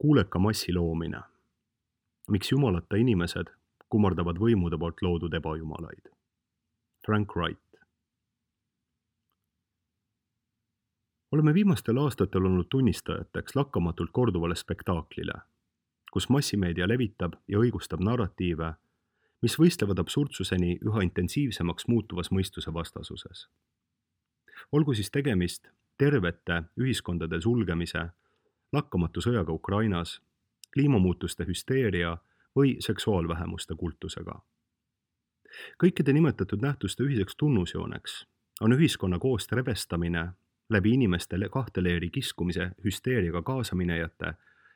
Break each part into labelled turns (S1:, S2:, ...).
S1: Kuuleka massi loomine. Miks jumalata inimesed kummardavad võimude poolt loodud ebajumalaid? Frank Wright. Oleme viimastel aastatel olnud tunnistajateks lakkamatult korduvale spektaaklile, kus massimeedia levitab ja õigustab narratiive, mis võistlevad absurdsuseni üha intensiivsemaks muutuvas mõistuse vastasuses. Olgu siis tegemist tervete ühiskondade sulgemise, lakkamatu sõjaga Ukrainas, kliimamuutuste hüsteeria või seksuaalvähemuste kultusega. Kõikide nimetatud nähtuste ühiseks tunnusjooneks on ühiskonna koost rebestamine läbi inimeste kahte leeri kiskumise hüsteeriaga kaasaminejate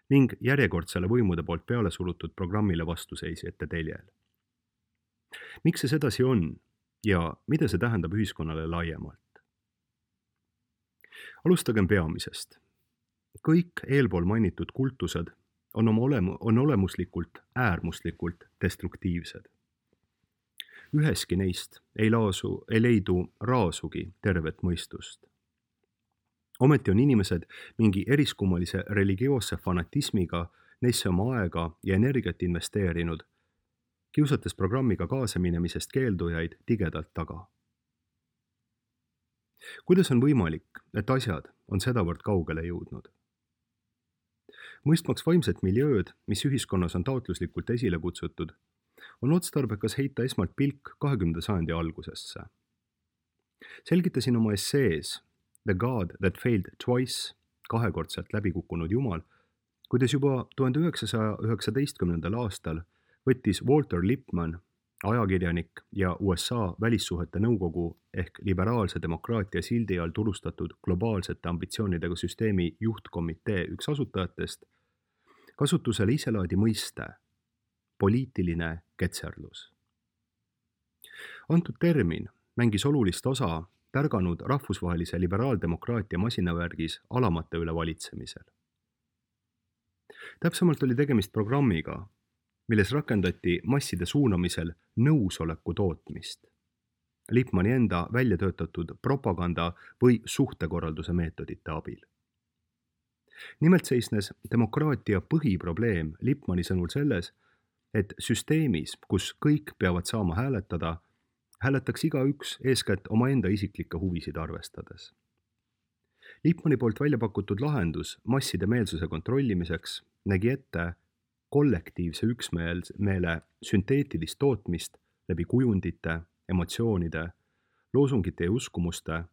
S1: ning järjekordsele võimude poolt peale surutud programmile vastuseisjate teljel. Miks see sedasi on ja mida see tähendab ühiskonnale laiemalt? Alustagem peamisest. Kõik eelpool mainitud kultused on olemuslikult äärmuslikult destruktiivsed. Üheski neist ei leidu raasugi tervet mõistust. Ometi on inimesed mingi eriskummalise religioosse fanatismiga neisse oma aega ja energiat investeerinud, kiusates programmiga kaasaminemisest keeldujaid tigedalt taga. Kuidas on võimalik, et asjad on sedavõrd kaugele jõudnud? Mõistmaks vaimset miljööd, mis ühiskonnas on taotluslikult esile kutsutud, on otstarbekas heita esmalt pilk 20. sajandi algusesse. Selgitasin oma essees The God That Failed Twice, kahekordselt läbikukkunud jumal, kuidas juba 1919. aastal võttis Walter Lippmann, ajakirjanik ja USA välissuhete nõukogu ehk liberaalse demokraatia sildi all turustatud globaalsete ambitsioonidega süsteemi juhtkomitee üks asutajatest, kasutusele iselaadi mõiste poliitiline ketserlus. Antud termin mängis olulist osa tärganud rahvusvahelise liberaaldemokraatia masinavärgis alamate üle valitsemisel. Täpsemalt oli tegemist programmiga, milles rakendati masside suunamisel nõusoleku tootmist, Lippmanni enda välja töötatud propaganda või suhtekorralduse meetodite abil. Nimelt seisnes demokraatia põhiprobleem Lippmanni sõnul selles, et süsteemis, kus kõik peavad saama hääletada, hääletaks igaüks eeskätt omaenda isiklikke huvisid arvestades. Lippmanni poolt välja pakutud lahendus masside meelsuse kontrollimiseks nägi ette kollektiivse üksmeele sünteetilist tootmist läbi kujundite, emotsioonide, loosungite ja uskumuste,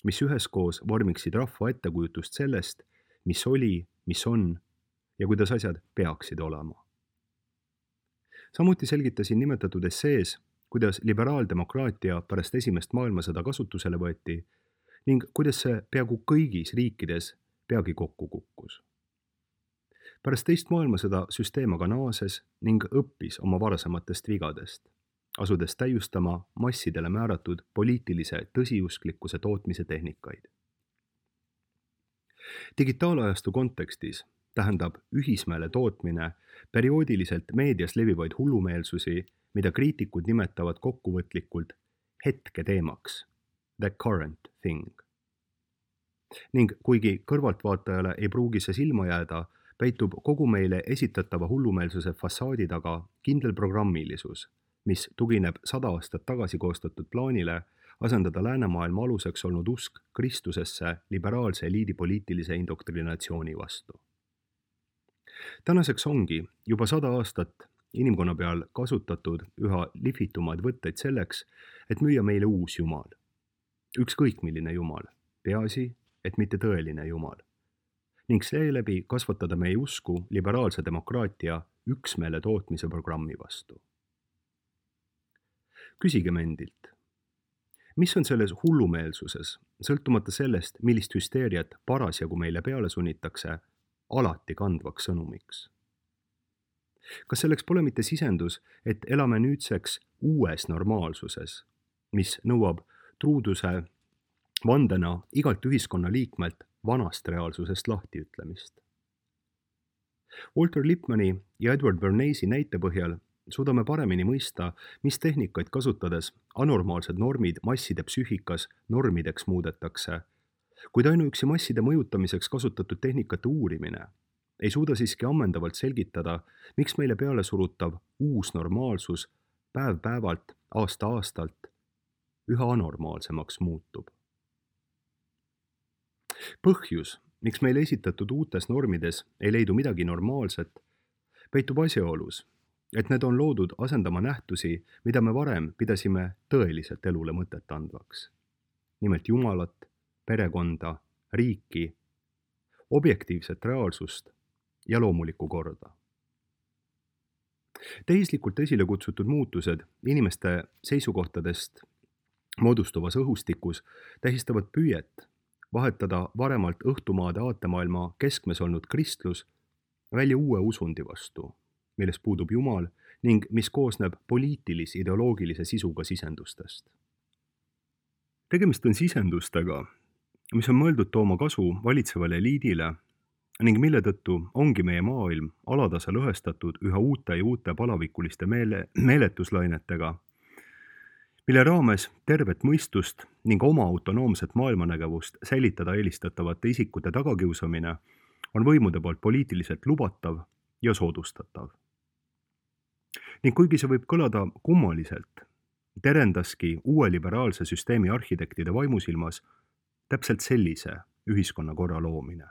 S1: mis üheskoos vormiksid rahva ettekujutust sellest, mis oli, mis on ja kuidas asjad peaksid olema. Samuti selgitasin nimetatud essees, kuidas liberaaldemokraatia pärast esimest maailmasõda kasutusele võeti ning kuidas see peaaegu kõigis riikides peagi kokku kukkus. Pärast teist maailmasõda süsteem aga naases ning õppis oma varasematest vigadest, asudes täiustama massidele määratud poliitilise tõsiusklikkuse tootmise tehnikaid. Digitaalajastu kontekstis tähendab ühismeele tootmine perioodiliselt meedias levivaid hullumeelsusi, mida kriitikud nimetavad kokkuvõtlikult hetketeemaks, the current thing. Ning kuigi kõrvaltvaatajale ei pruugi see silma jääda, peitub kogu meile esitatava hullumeelsuse fassaadi taga kindel programmilisus, mis tugineb 100 aastat tagasi koostatud plaanile asendada läänemaailma aluseks olnud usk Kristusesse liberaalse eliidi poliitilise indoktrinatsiooni vastu. Tänaseks ongi juba 100 aastat inimkonna peal kasutatud üha lihvitumaid võtteid selleks, et müüa meile uus jumal. Ükskõik milline jumal, peaasi, et mitte tõeline jumal. Ning seeläbi kasvatada meie usku liberaalse demokraatia üksmeele tootmise programmi vastu. Küsigem endilt, mis on selles hullumeelsuses, sõltumata sellest, millist hüsteeriat parasjagu meile peale sunnitakse, alati kandvaks sõnumiks? Kas selleks pole mitte sisendus, et elame nüüdseks uues normaalsuses, mis nõuab truuduse vandena igalt ühiskonna liikmelt vanast reaalsusest lahtiütlemist? Walter Lippmanni ja Edward Bernays näite põhjal suudame paremini mõista, mis tehnikaid kasutades anormaalsed normid masside psüühikas normideks muudetakse, kuid ainuüksi masside mõjutamiseks kasutatud tehnikate uurimine ei suuda siiski ammendavalt selgitada, miks meile peale surutav uus normaalsus päev-päevalt, aasta-aastalt üha anormaalsemaks muutub. Põhjus, miks meile esitatud uutes normides ei leidu midagi normaalset, peitub asjaolus, et need on loodud asendama nähtusi, mida me varem pidasime tõeliselt elule mõtet andvaks. Nimelt Jumalat, perekonda, riiki, objektiivset reaalsust ja loomulikku korda. Tehislikult esile kutsutud muutused inimeste seisukohtadest moodustuvas õhustikus tähistavad püüet vahetada varemalt õhtumaade aatemaailma keskmes olnud kristlus välja uue usundi vastu, milles puudub Jumal ning mis koosneb poliitilis-ideoloogilise sisuga sisendustest. Tegemist on sisendustega, mis on mõeldud tooma kasu valitsevale eliidile ning mille tõttu ongi meie maailm alatasa lõhestatud üha uute ja uute palavikuliste meeletuslainetega, mille raames tervet mõistust ning oma autonoomset maailmanägevust säilitada eelistatavate isikute tagakiusamine on võimude poolt poliitiliselt lubatav ja soodustatav. Ning kuigi see võib kõlada kummaliselt, terendaski uue liberaalse süsteemi arhitektide vaimusilmas täpselt sellise ühiskonnakorra loomine.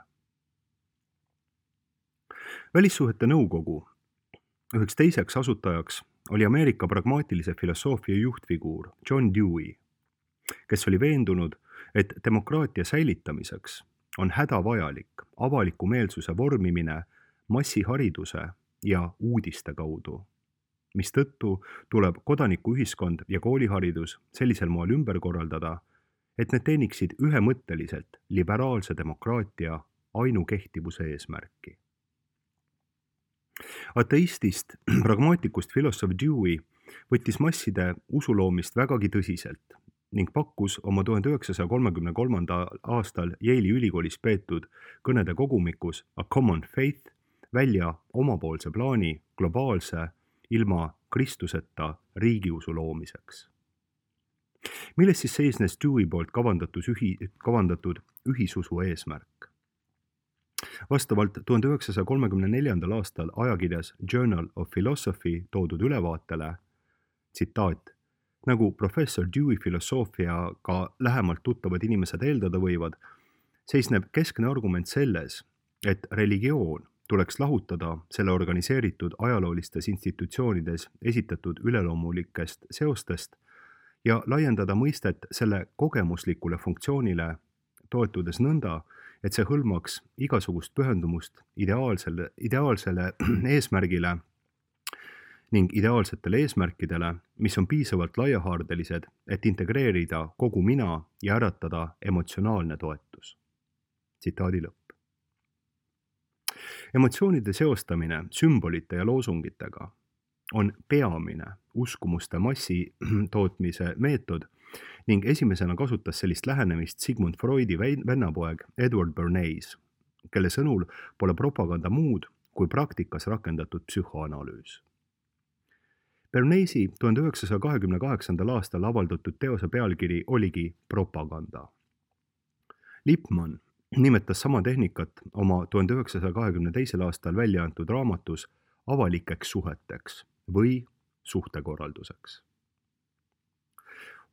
S1: Välissuhete nõukogu üheks teiseks asutajaks oli Ameerika pragmaatilise filosoofia juhtfiguur John Dewey, kes oli veendunud, et demokraatia säilitamiseks on hädavajalik avaliku meelsuse vormimine massihariduse ja uudiste kaudu, mistõttu tuleb kodanikuühiskond ja kooliharidus sellisel moel ümber korraldada, et need teeniksid ühemõtteliselt liberaalse demokraatia ainukehtivuse eesmärki. Ateistist pragmaatikust filosoof Dewey võttis masside usuloomist vägagi tõsiselt ning pakkus oma 1933. aastal Yale'i ülikoolis peetud kõnede kogumikus A Common Faith välja omapoolse plaani globaalse ilma Kristuseta riigiusu loomiseks. Milles siis seisnes Dewey poolt kavandatud ühisusu eesmärk? Vastavalt 1934. aastal ajakirjas Journal of Philosophy toodud ülevaatele, tsitaat, nagu professor Dewey filosoofiaga lähemalt tuttavad inimesed eeldada võivad, seisneb keskne argument selles, et religioon tuleks lahutada selle organiseeritud ajaloolistes institutsioonides esitatud üleloomulikest seostest ja laiendada mõistet selle kogemuslikule funktsioonile, toetudes nõnda, et see hõlmaks igasugust pühendumust ideaalsele eesmärgile ning ideaalsetele eesmärkidele, mis on piisavalt laiahaardelised, et integreerida kogu mina ja äratada emotsionaalne toetus. Tsitaadi lõpp. Emotsioonide seostamine sümbolite ja loosungitega on peamine uskumuste massi tootmise meetod ning esimesena kasutas sellist lähenemist Sigmund Freudi vennapoeg Edward Bernays, kelle sõnul pole propaganda muud kui praktikas rakendatud psühhoanalüüs. Bernaysi 1928. aastal avaldatud teose pealkiri oligi propaganda. Lippmann nimetas sama tehnikat oma 1922. aastal välja antud raamatus avalikeks suheteks või suhtekorralduseks.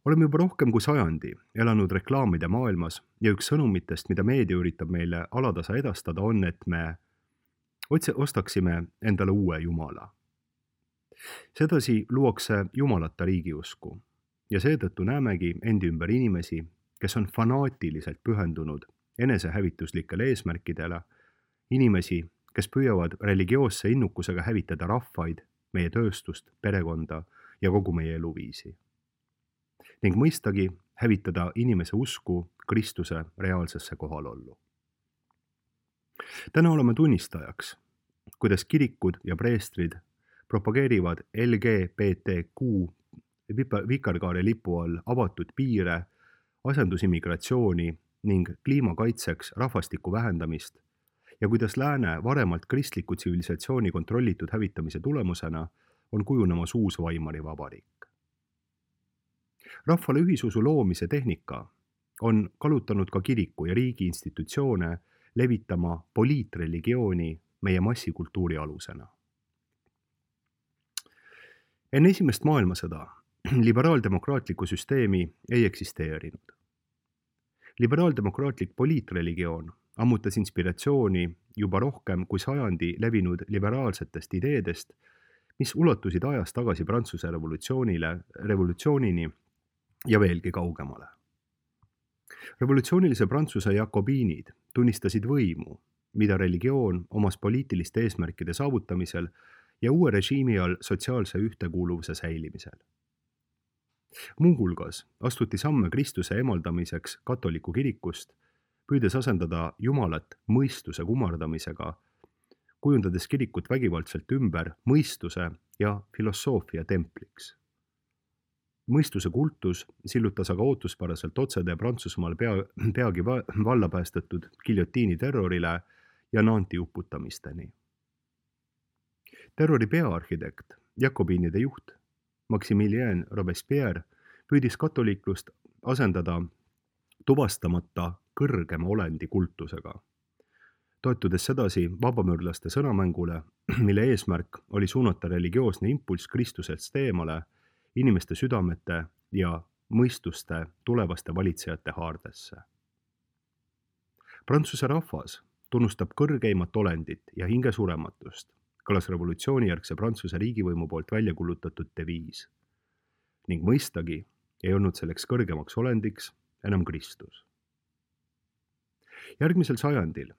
S1: Oleme juba rohkem kui sajandi elanud reklaamide maailmas ja üks sõnumitest, mida meedia üritab meile alatasa edastada, on, et me ostaksime endale uue jumala. Sedasi luuakse jumalata riigiusku ja seetõttu näemegi endi ümber inimesi, kes on fanaatiliselt pühendunud enesehävituslikele eesmärkidele, inimesi, kes püüavad religioosse innukusega hävitada rahvaid, meie tööstust, perekonda ja kogu meie eluviisi. Ning mõistagi hävitada inimese usku Kristuse reaalsesse kohalollu. Täna oleme tunnistajaks, kuidas kirikud ja preestrid propageerivad LGBTQ vikerkaare lipu all avatud piire, asendusimmigratsiooni ning kliimakaitseks rahvastiku vähendamist ja kuidas lääne varemalt kristliku tsivilisatsiooni kontrollitud hävitamise tulemusena on kujunemas uus Weimari vabariik. Rahvale ühisusu loomise tehnika on kalutanud ka kiriku ja riigi institutsioone levitama poliitreligiooni meie massikultuuri alusena. Enne esimest maailmasõda liberaaldemokraatlikku süsteemi ei eksisteerinud. Liberaaldemokraatlik poliitreligioon ammutas inspiratsiooni juba rohkem kui sajandi levinud liberaalsetest ideedest, mis ulatusid ajas tagasi Prantsuse revolutsioonini ja veelgi kaugemale. Revolutsioonilise Prantsuse jakobiinid tunnistasid võimu, mida religioon omas poliitiliste eesmärkide saavutamisel ja uue režiimi all sotsiaalse ühtekuuluvuse säilimisel. Muuhulgas astuti samme Kristuse emaldamiseks katoliku kirikust, püüdes asendada Jumalat mõistuse kummardamisega, kujundades kirikut vägivaldselt ümber mõistuse ja filosoofia templiks. Mõistuse kultus sillutas aga ootuspäraselt otsede Prantsusmaal peagi valla päästetud giljotiini terrorile ja Nanti uputamisteni. Terrori peaarhitekt, jakobiinide juht Maximilien Robespierre püüdis katoliiklust asendada tuvastamata kõrgema olendi kultusega, toetudes sedasi vabamüürlaste sõnamängule, mille eesmärk oli suunata religioosne impulss Kristusest eemale inimeste südamete ja mõistuste tulevaste valitsejate haardesse. Prantsuse rahvas tunnustab kõrgeimat olendit ja hingesurematust, kõlas revolutsioonijärgse Prantsuse riigivõimu poolt välja kuulutatud deviis. Ning mõistagi ei olnud selleks kõrgemaks olendiks enam Kristus. Järgmisel sajandil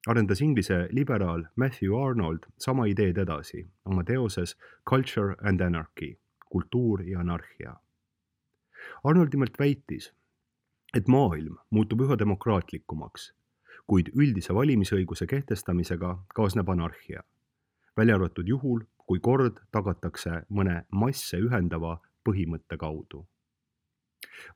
S1: arendas Inglise liberaal Matthew Arnold sama ideed edasi oma teoses Culture and Anarchy, kultuur ja anarhia. Arnold nimelt väitis, et maailm muutub üha demokraatlikumaks, kuid üldise valimisõiguse kehtestamisega kaasneb anarhia, välja arvatud juhul, kui kord tagatakse mõne masse ühendava põhimõtte kaudu.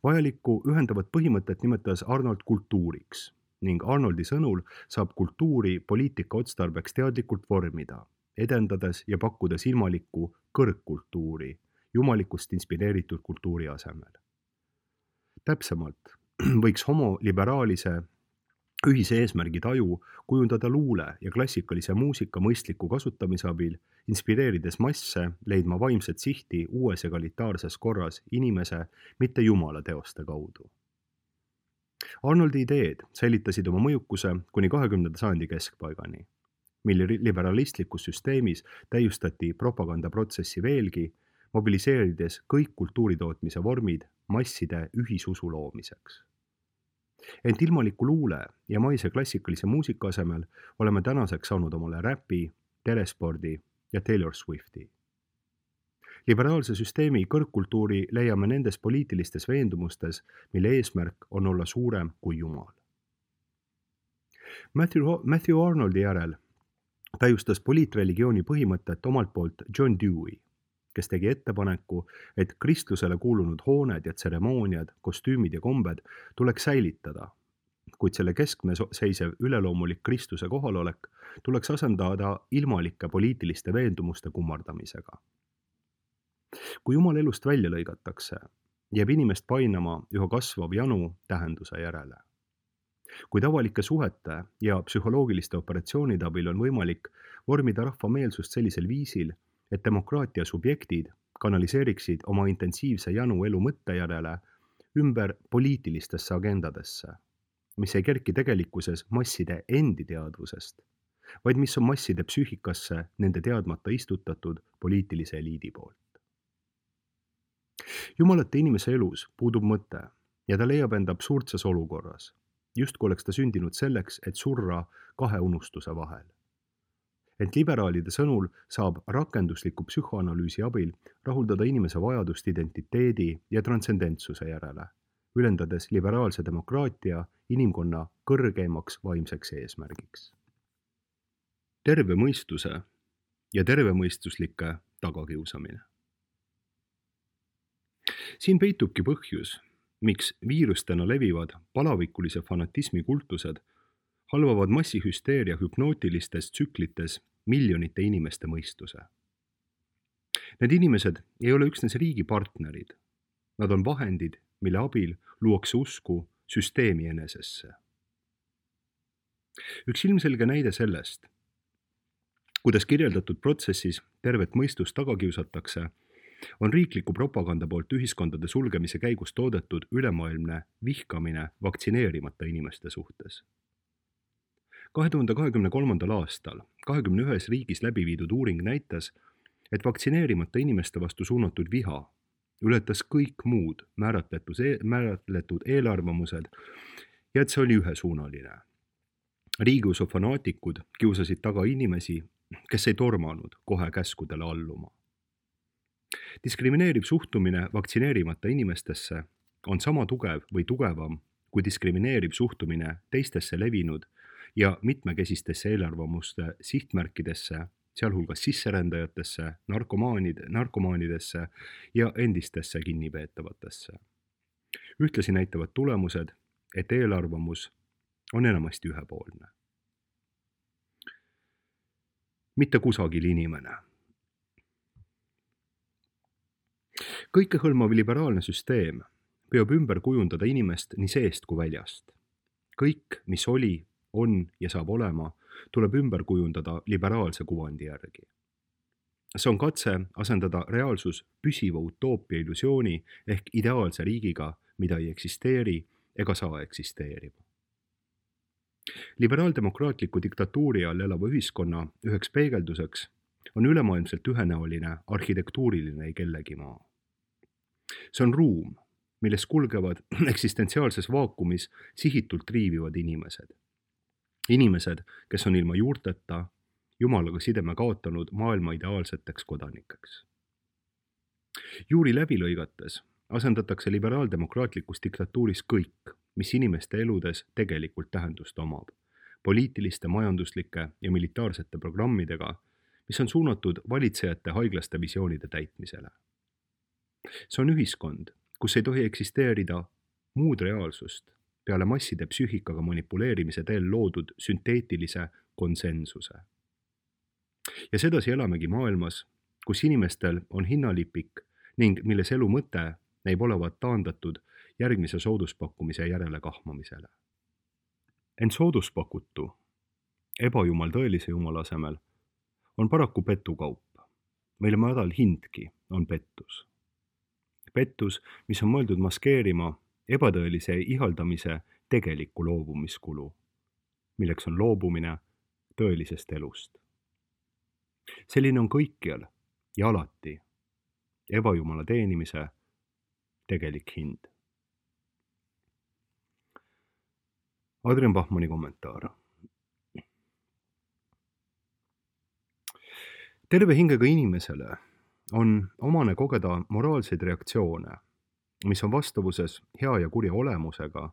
S1: Vajalikku ühendavat põhimõtet nimetas Arnold kultuuriks ning Arnoldi sõnul saab kultuuri poliitika otstarbeks teadlikult vormida, edendades ja pakkudes ilmalikku kõrgkultuuri, jumalikust inspireeritud kultuuri asemel. Täpsemalt võiks homoliberaalise ühise eesmärgi taju kujundada luule ja klassikalise muusika mõistliku kasutamise abil, inspireerides masse leidma vaimset sihti uues egalitaarses korras inimese, mitte Jumala teoste kaudu. Arnoldi ideed säilitasid oma mõjukuse kuni 20. sajandi keskpaigani, mil liberalistlikus süsteemis täiustati propagandaprotsessi veelgi, mobiliseerides kõik kultuuritootmise vormid masside ühisusu loomiseks. Ent ilmaliku luule ja maise klassikalise muusika asemel oleme tänaseks saanud omale räpi, telespordi ja Taylor Swifti. Liberaalse süsteemi kõrgkultuuri leiame nendes poliitilistes veendumustes, mille eesmärk on olla suurem kui Jumal. Matthew Arnoldi järel täiustas poliitreligiooni põhimõtet omalt poolt John Dewey, kes tegi ettepaneku, et kristlusele kuulunud hooned ja tseremooniad, kostüümid ja kombed tuleks säilitada, kuid selle keskme seisev üleloomulik Kristuse kohalolek tuleks asendada ilmalike poliitiliste veendumuste kummardamisega. Kui Jumal elust välja lõigatakse, jääb inimest painama üha kasvav janu tähenduse järele. Kuid avalike suhete ja psühholoogiliste operatsioonide abil on võimalik vormida rahva meelsust sellisel viisil, et demokraatia subjektid kanaliseeriksid oma intensiivse janu elu mõtte järele ümber poliitilistesse agendadesse, mis ei kerki tegelikkuses masside endi teadvusest, vaid mis on masside psüühikasse nende teadmata istutatud poliitilise eliidi poolt. Jumalate inimese elus puudub mõte ja ta leiab enda absurdses olukorras, justkui oleks ta sündinud selleks, et surra kahe unustuse vahel. Ent liberaalide sõnul saab rakendusliku psühhoanalüüsi abil rahuldada inimese vajadust identiteedi ja transcendentsuse järele, ülendades liberaalse demokraatia inimkonna kõrgeimaks vaimseks eesmärgiks. Terve mõistuse ja tervemõistuslike tagakiusamine. Siin peitubki põhjus, miks viirustena levivad palavikulise fanatismi kultused halvavad massihüsteeria hüpnootilistes tsüklites miljonite inimeste mõistuse. Need inimesed ei ole üksnes riigi partnerid. Nad on vahendid, mille abil luuakse usku süsteemi enesesse. Üks ilmselge näide sellest, kuidas kirjeldatud protsessis tervet mõistust taga kiusatakse, on riikliku propaganda poolt ühiskondade sulgemise käigus toodetud ülemaailmne vihkamine vaktsineerimata inimeste suhtes. 2023. aastal 21 riigis läbi viidud uuring näitas, et vaktsineerimata inimeste vastu suunatud viha ületas kõik muud määratletud eelarvamused ja et see oli ühesuunaline. Riigiusu fanaatikud kiusasid taga inimesi, kes ei tormanud kohe käskudele alluma. Diskrimineeriv suhtumine vaktsineerimata inimestesse on sama tugev või tugevam kui diskrimineeriv suhtumine teistesse levinud ja mitmekesistesse eelarvamuste sihtmärkidesse, sealhulgas sisserändajatesse, narkomaanidesse ja endistesse kinnipeetavatesse. Ühtlasi näitavad tulemused, et eelarvamus on enamasti ühepoolne. Mitte kusagil inimene. Kõikehõlmav liberaalne süsteem püüab ümber kujundada inimest nii seest kui väljast. Kõik, mis oli, on ja saab olema, tuleb ümber kujundada liberaalse kuvandi järgi. See on katse asendada reaalsus püsiva utoopia illusiooni ehk ideaalse riigiga, mida ei eksisteeri ega saa eksisteerima. Liberaaldemokraatliku diktatuuri all elava ühiskonna üheks peegelduseks on ülemaailmselt ühenäoline arhitektuuriline ei kellegi maa. See on ruum, milles kulgevad eksistentsiaalses vaakumis sihitult triivivad inimesed. Inimesed, kes on ilma juurteta, Jumalaga sideme kaotanud maailma ideaalseteks kodanikeks. Juuri läbi lõigates asendatakse liberaaldemokraatlikus diktatuuris kõik, mis inimeste eludes tegelikult tähendust omab, poliitiliste, majanduslike ja militaarsete programmidega, mis on suunatud valitsejate haiglaste visioonide täitmisele. See on ühiskond, kus ei tohi eksisteerida muud reaalsust peale masside psüühikaga manipuleerimise teel loodud sünteetilise konsensuse. Ja sedasi elamegi maailmas, kus inimestel on hinnalipik ning milles elu mõte näib olevat taandatud järgmise sooduspakkumise järele kahmamisele. Ent sooduspakutu, ebajumal tõelise jumala asemel, on paraku petukaup, mille madal hindki on pettus. Pettus, mis on mõeldud maskeerima ebatõelise ihaldamise tegelikku loobumiskulu, milleks on loobumine tõelisest elust. Selline on kõikjal ja alati ebajumala teenimise tegelik hind. Adrian Bachmanni kommentaar. Terve hingega inimesele on omane kogeda moraalseid reaktsioone, mis on vastavuses hea ja kurja olemusega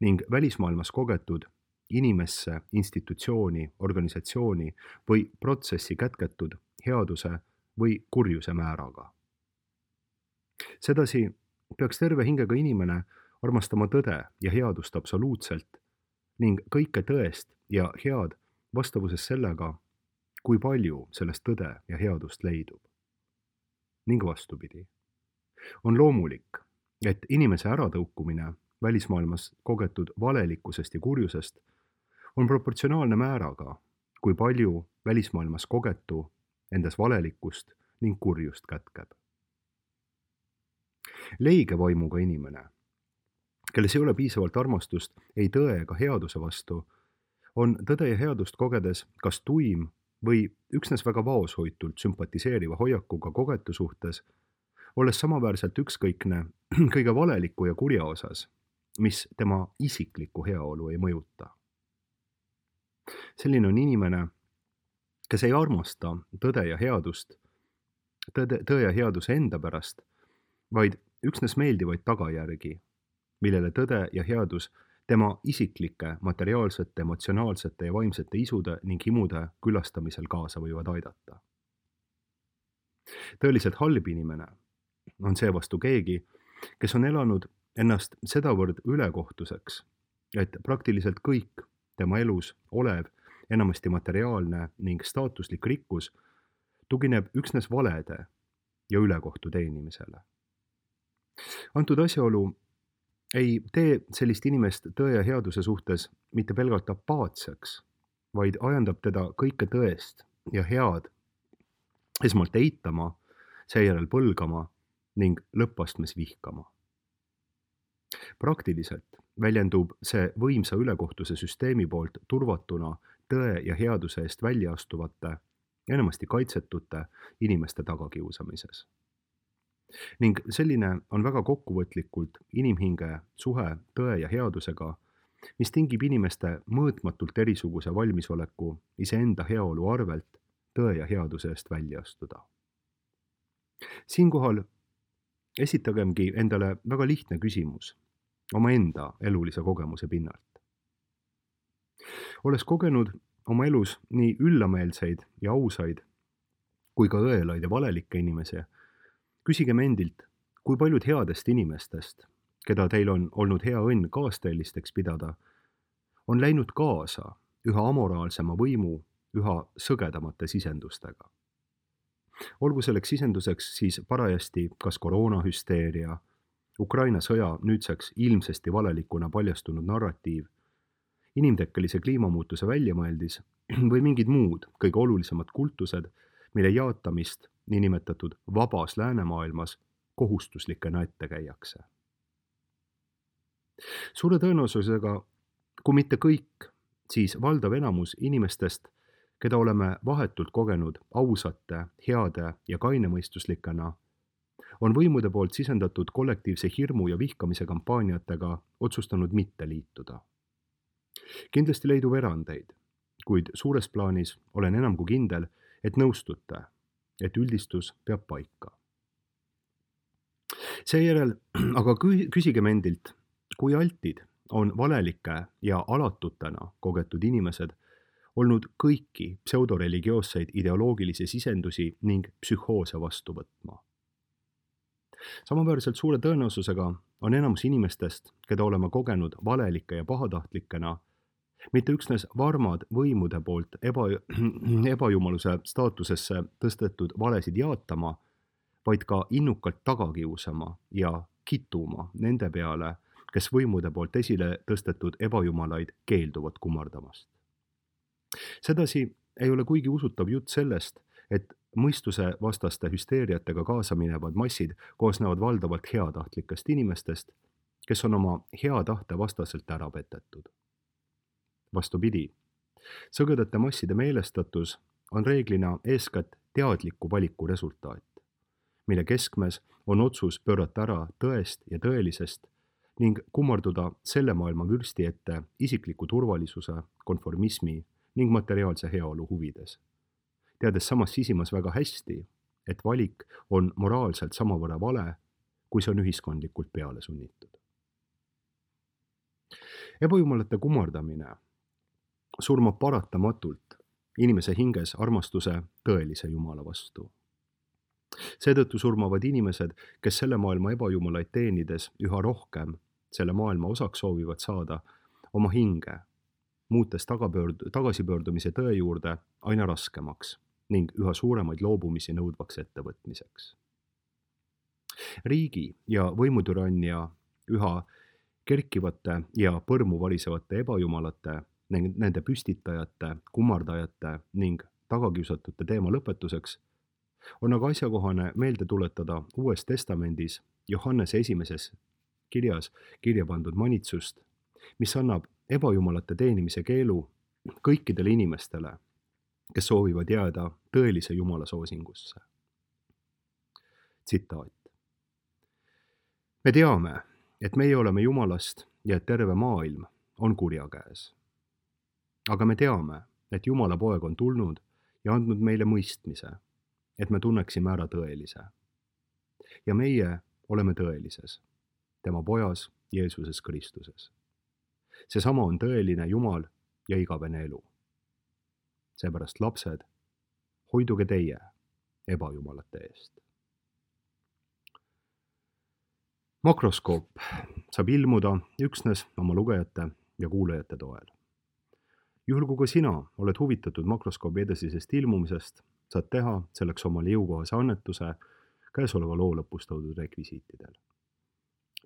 S1: ning välismaailmas kogetud inimesse, institutsiooni, organisatsiooni või protsessi kätketud headuse või kurjuse määraga. Sedasi peaks terve hingega inimene armastama tõde ja headust absoluutselt ning kõike tõest ja head vastavuses sellega, kui palju sellest tõde ja headust leidub. Ning vastupidi. On loomulik, et inimese äratõukumine välismaailmas kogetud valelikkusest ja kurjusest on proportsionaalne määraga, kui palju välismaailmas kogetu endas valelikkust ning kurjust kätkeb. Leige vaimuga inimene, kelles ei ole piisavalt armastust ei tõe ega headuse vastu, on tõde ja headust kogedes kas tuim või üksnes väga vaoshoitult sümpatiseeriva hoiakuga kogetu suhtes, olles samaväärselt ükskõikne kõige valeliku ja kurja osas, mis tema isiklikku heaolu ei mõjuta. Selline on inimene, kes ei armasta tõde ja headust, tõe ja headuse enda pärast, vaid üksnes meeldivaid tagajärgi, millele tõde ja headus tema isiklike, materiaalsete, emotsionaalsete ja vaimsete isude ning himude külastamisel kaasa võivad aidata. Tõeliselt halb inimene on seevastu keegi, kes on elanud ennast sedavõrd ülekohtuseks, et praktiliselt kõik tema elus olev, enamasti materiaalne ning staatuslik rikkus tugineb üksnes valede ja ülekohtu teenimisele. Antud asjaolu ei tee sellist inimest tõe ja headuse suhtes mitte pelgalt apaatseks, vaid ajandab teda kõike tõest ja head esmalt eitama, seejärel põlgama ning lõppastmes vihkama. Praktiliselt väljendub see võimsa ülekohtuse süsteemi poolt turvatuna tõe ja headuse eest välja astuvate, enamasti kaitsetute inimeste tagakiusamises. Ning selline on väga kokkuvõtlikult inimhinge suhe tõe ja headusega, mis tingib inimeste mõõtmatult erisuguse valmisoleku iseenda heaolu arvelt tõe ja headuse eest välja astuda. Siinkohal esitagemgi endale väga lihtne küsimus omaenda elulise kogemuse pinnalt. Olles kogenud oma elus nii üllameelseid ja ausaid kui ka õelaid ja valelikke inimesi, küsigem endilt, kui paljud headest inimestest, keda teil on olnud hea õnn kaasteelisteks pidada, on läinud kaasa üha amoraalsema võimu üha sõgedamate sisendustega. Olgu selleks sisenduseks siis parajasti kas koroonahüsteeria, Ukraina sõja nüüdseks ilmsesti valelikuna paljastunud narratiiv, inimtekkelise kliimamuutuse väljamõeldis või mingid muud kõige olulisemad kultused, mille jaatamist niinimetatud vabas läänemaailmas kohustuslikena ette käiakse. Suure tõenäosusega, kui mitte kõik, siis valdav enamus inimestest, keda oleme vahetult kogenud ausate, heade ja kainemõistuslikena, on võimude poolt sisendatud kollektiivse hirmu ja vihkamise kampaaniatega otsustanud mitte liituda. Kindlasti leidub erandeid, kuid suures plaanis olen enam kui kindel, et nõustute, et üldistus peab paika. Seejärel aga küsigem endilt, kui altid on valelike ja alatutena kogetud inimesed olnud kõiki pseudoreligioosseid ideoloogilisi sisendusi ning psühhoose vastu võtma. Samaväärselt suure tõenäosusega on enamus inimestest, keda oleme kogenud valelike ja pahatahtlikena, mitte üksnes varmad võimude poolt ebajumaluse staatusesse tõstetud valesid jaatama, vaid ka innukalt tagakiusama ja kituma nende peale, kes võimude poolt esile tõstetud ebajumalaid keelduvad kummardamast. Sedasi ei ole kuigi usutav jutt sellest, et mõistuse vastaste hüsteeriatega kaasa minevad massid koosnevad valdavalt heatahtlikest inimestest, kes on oma hea tahte vastaselt ära petetud. Vastupidi, sõgedate masside meelestatus on reeglina eeskätt teadliku valiku resultaat, mille keskmes on otsus pöörata ära tõest ja tõelisest ning kummarduda selle maailma vürsti ette isikliku turvalisuse, konformismi ning materiaalse heaolu huvides, teades samas sisimas väga hästi, et valik on moraalselt samavõrra vale, kui see on ühiskondlikult peale sunnitud. Ebajumalate kummardamine surmab paratamatult inimese hinges armastuse tõelise Jumala vastu. Seetõttu surmavad inimesed, kes selle maailma ebajumalaid teenides üha rohkem selle maailma osaks soovivad saada, oma hinge, muutes tagasipöördumise tõe juurde aina raskemaks ning üha suuremaid loobumisi nõudvaks ettevõtmiseks. Riigi ja võimutürannia üha kerkivate ja põrmu varisevate ebajumalate, nende püstitajate, kummardajate ning tagakiusatute teema lõpetuseks on aga asjakohane meelde tuletada Uues Testamendis Johannese esimeses kirjas kirja pandud manitsust, mis annab ebajumalate teenimise keelu kõikidele inimestele, kes soovivad jääda tõelise Jumala soosingusse. Tsitaat. Me teame, et meie oleme Jumalast ja et terve maailm on kurja käes. Aga me teame, et Jumala poeg on tulnud ja andnud meile mõistmise, et me tunneksime ära tõelise. Ja meie oleme tõelises, tema pojas Jeesuses Kristuses. Seesama on tõeline Jumal ja igavene elu. Seepärast lapsed, hoiduge teie ebajumalate eest. Makroskoop saab ilmuda üksnes oma lugejate ja kuulajate toel. Juhul kui ka sina oled huvitatud makroskoobi edasisest ilmumisest, saad teha selleks omale jõukohase annetuse käesoleva loo lõpus toodud rekvisiitidel.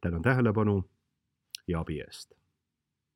S1: Tänan tähelepanu ja abi eest!